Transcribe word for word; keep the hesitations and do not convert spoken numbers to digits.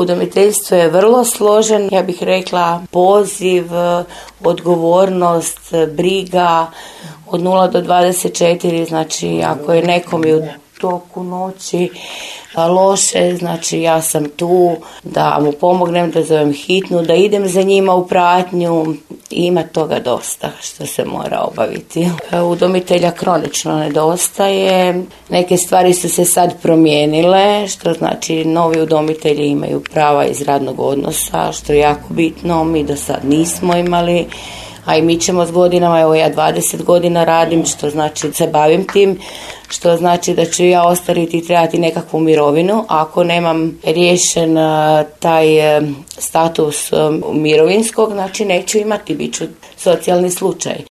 Udomiteljstvo je vrlo složen, ja bih rekla poziv, odgovornost, briga od nula do dvadeset četiri, znači ako je nekom u toku noći loše, znači ja sam tu da mu pomognem, da zovem hitnu, da idem za njima u pratnju. Ima toga dosta što se mora obaviti. Udomitelja kronično nedostaje. Neke stvari su se sad promijenile, što znači novi udomitelji imaju prava iz radnog odnosa, što je jako bitno. Mi do sad nismo imali, a i mi ćemo s godinama, evo ja dvadeset godina radim, što znači se bavim tim, što znači da ću ja ostariti i trebati nekakvu mirovinu. Ako nemam riješen taj status mirovinskog, znači neću imati, bit ću socijalni slučaj.